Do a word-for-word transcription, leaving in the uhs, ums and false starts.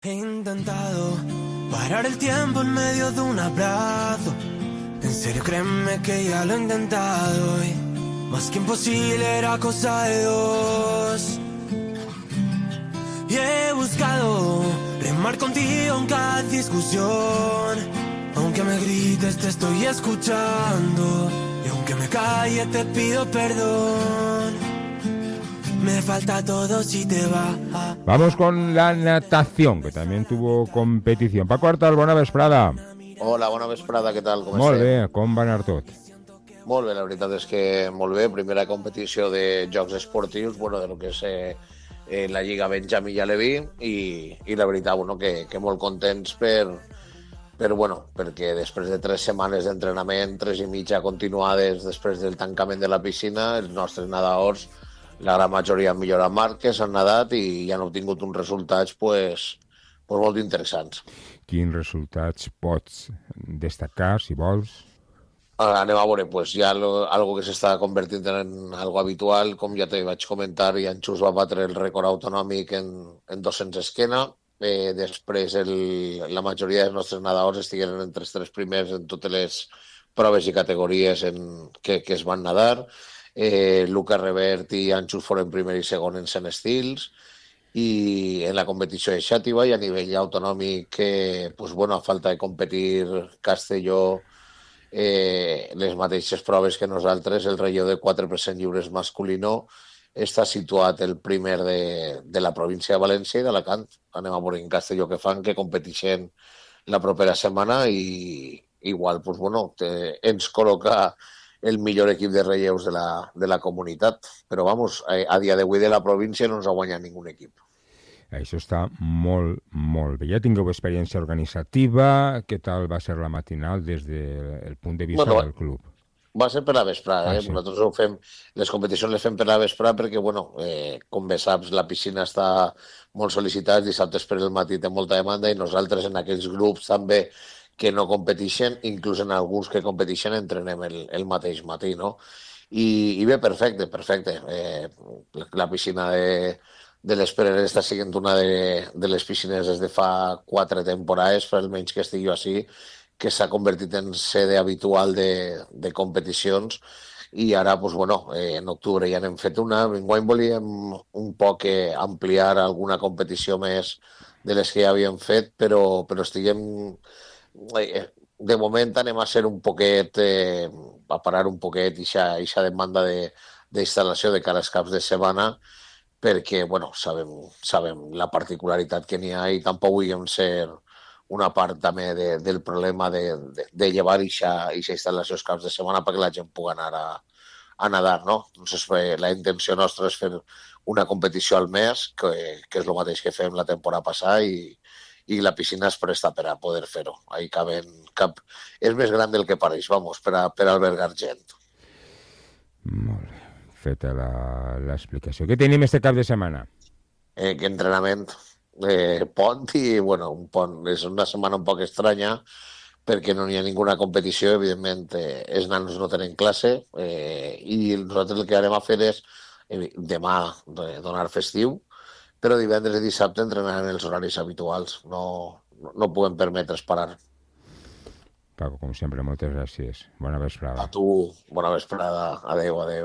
He intentado parar el tiempo en medio de un abrazo. En serio, créeme que ya lo he intentado y más que imposible era cosa de dos. Y he buscado remar contigo en cada discusión. Aunque me grites te estoy escuchando y aunque me calle te pido perdón. Me falta todo si te va. Vamos con la natación, que también tuvo competición. Paco Artal, bona vesprada. Hola, bona vesprada, què tal? Com Molt estem? bé, com va anar tot? Molt bé, la veritat és que molt bé. Primera competició de Jocs Esportius, bueno, de lo que és eh, eh, la Lliga Benjamí i Aleví, i, i la veritat, bueno, que, que molt contents per, per, bueno, perquè després de tres setmanes d'entrenament, tres i mitja continuades després del tancament de la piscina, els nostres nedadors, la gran majoria han millorat marques, han nedat i han obtingut uns resultats pues, pues molt interessants. Quins resultats pots destacar, si vols? Ara anem a veure, pues, hi ha lo, algo que s'està convertint en algo habitual, com ja te vaig comentar, i en Xus va batre el rècord autonòmic en, en dos-cents esquena. Eh, després el, la majoria dels nostres nedadors estigueren entre els tres primers en totes les proves i categories en, que, que es van nedar. Eh, Luca Revert i Anxus foren primer i segon en cent estils, i en la competició de xàtiva i a nivell autonòmic, que, pues, bueno, a falta de competir Castelló, eh, les mateixes proves que nosaltres, el relleu de quatre per cent lliures masculino està situat el primer de, de la província de València i d'Alacant. Anem a veure en Castelló què fan, que competeixen la propera setmana i igual, pues, bueno, te, ens col·loca el millor equip de relleus de la, de la comunitat. Però, vamos, a, a dia d'avui de la província no ens ha guanyat ningú equip. Això està molt, molt bé. Ja tingueu experiència organitzativa. Què tal va ser la matinal des del punt de vista Bueno, del club? va ser per la vesprada, Ah, eh? sí. Nosaltres ho fem, les competicions les fem per la vesprada perquè, bueno, eh, com bé saps, la piscina està molt sol·licitada, dissabtes per el matí té molta demanda i nosaltres en aquells grups també que no competeixen, inclús en alguns que competeixen, entrenem el, el mateix matí, no? I, i bé, perfecte, perfecte. Eh, la piscina de, de les Pereres està sent una de, de les piscines des de fa quatre temporades, per almenys que estigui així, que s'ha convertit en sede habitual de, de competicions, i ara, pues, bueno, eh, en octubre ja n'hem fet una. Enguany volíem un poc eh, ampliar alguna competició més de les que ja havíem fet, però, però estiguem... Eh, de moment anem a ser un poquet, eh, a parar un poquet aquesta demanda d'instal·lació de, de cara als caps de setmana, perquè, bueno, sabem, sabem la particularitat que n'hi ha i tampoc volíem ser una part també de, del problema de, de, de llevar aquesta instal·lació als caps de setmana perquè la gent pugui anar a, a nedar, no? Entonces, eh, la intenció nostra és fer una competició al mes, que, que és el mateix que fem la temporada passada, i, i la piscina es presta per a poder fer-ho. Ahí caben... Cap... És més gran del que pareix, vamos, per, a, per albergar gent. Molt bé. Feta l'explicació. Què tenim este cap de setmana? Eh, que entrenament, eh, pont i, bueno, un pont. És una setmana un poc estranya perquè no hi ha ninguna competició, evidentment eh, els nanos no tenen classe, eh, i nosaltres el que anem a fer és eh, demà eh, donar festiu, però divendres i dissabte entrenaran els horaris habituals. No, no podem permetre's parar. Paco, com sempre, moltes gràcies. Bona vesprada. A tu, bona vesprada. Adéu, adéu.